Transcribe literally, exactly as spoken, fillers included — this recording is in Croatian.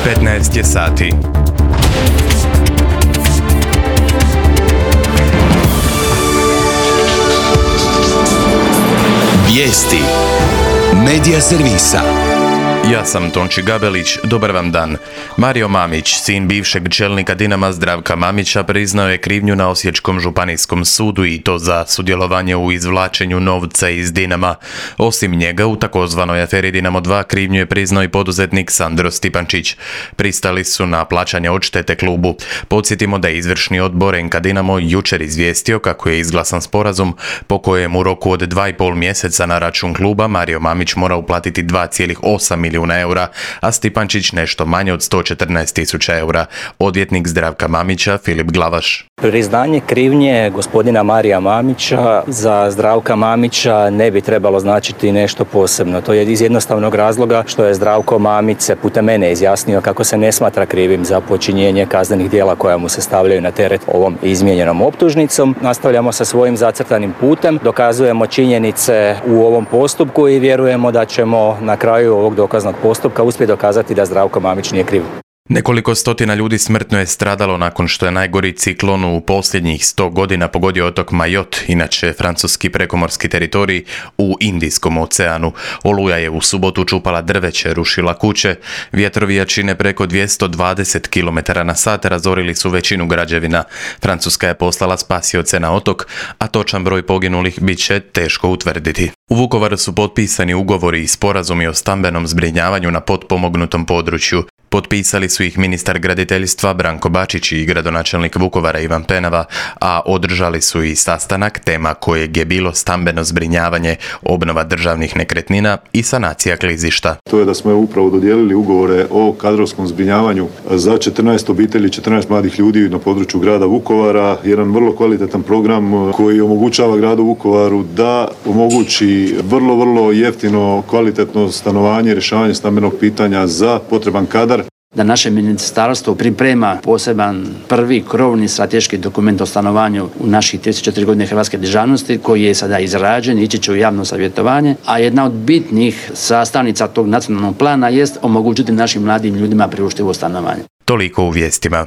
petnaest je sati. Vijesti Medija servisa. Ja sam Tonči Gabelić, dobar vam dan. Mario Mamić, sin bivšeg čelnika Dinama Zdravka Mamića, priznao je krivnju na Osječkom županijskom sudu i to za sudjelovanje u izvlačenju novca iz Dinama. Osim njega, u takozvanoj aferi Dinamo dva krivnju je priznao i poduzetnik Sandro Stipančić. Pristali su na plaćanje odštete klubu. Podsjetimo da je izvršni odbor en ka Dinamo jučer izvijestio kako je izglasan sporazum po kojem u roku od dva i pol mjeseca na račun kluba Mario Mamić mora uplatiti dva zarez osam milijuna eura, a Stipančić nešto manje od sto četrnaest tisuća eura. Odvjetnik Zdravka Mamića, Filip Glavaš. Priznanje krivnje gospodina Marija Mamića za Zdravka Mamića ne bi trebalo značiti nešto posebno. To je iz jednostavnog razloga što je Zdravko Mamić se putem mene izjasnio kako se ne smatra krivim za počinjenje kaznenih djela koja mu se stavljaju na teret ovom izmijenjenom optužnicom. Nastavljamo sa svojim zacrtanim putem, dokazujemo činjenice u ovom postupku i vjerujemo da ćemo na kraju ovog dokaznog postupka uspjeti dokazati da Zdravko Mamić nije kriv. Nekoliko stotina ljudi smrtno je stradalo nakon što je najgori ciklon u posljednjih sto godina pogodio otok Majot, inače francuski prekomorski teritorij u Indijskom oceanu. Oluja je u subotu čupala drveće, rušila kuće, vjetrovi jačine preko dvjesto dvadeset kilometara na sat razorili su većinu građevina. Francuska je poslala spasioce na otok, a točan broj poginulih bit će teško utvrditi. U Vukovaru su potpisani ugovori i sporazumi o stambenom zbrinjavanju na potpomognutom području. Potpisali su ih ministar graditeljstva Branko Bačić i gradonačelnik Vukovara Ivan Penava, a održali su i sastanak tema kojeg je bilo stambeno zbrinjavanje, obnova državnih nekretnina i sanacija klizišta. To je da smo upravo dodijelili ugovore o kadrovskom zbrinjavanju za četrnaest obitelji, četrnaest mladih ljudi na području grada Vukovara. Jedan vrlo kvalitetan program koji omogućava gradu Vukovaru da omogući vrlo, vrlo jeftino, kvalitetno stanovanje, rješavanje stambenog pitanja za potreban kadar. Da naše ministarstvo priprema poseban prvi krovni strateški dokument o stanovanju u naših trideset četiri godine hrvatske državnosti koji je sada izrađen, ići će u javno savjetovanje, a jedna od bitnih sastavnica tog nacionalnog plana jest omogućiti našim mladim ljudima priuštivo stanovanje. Toliko u vijestima.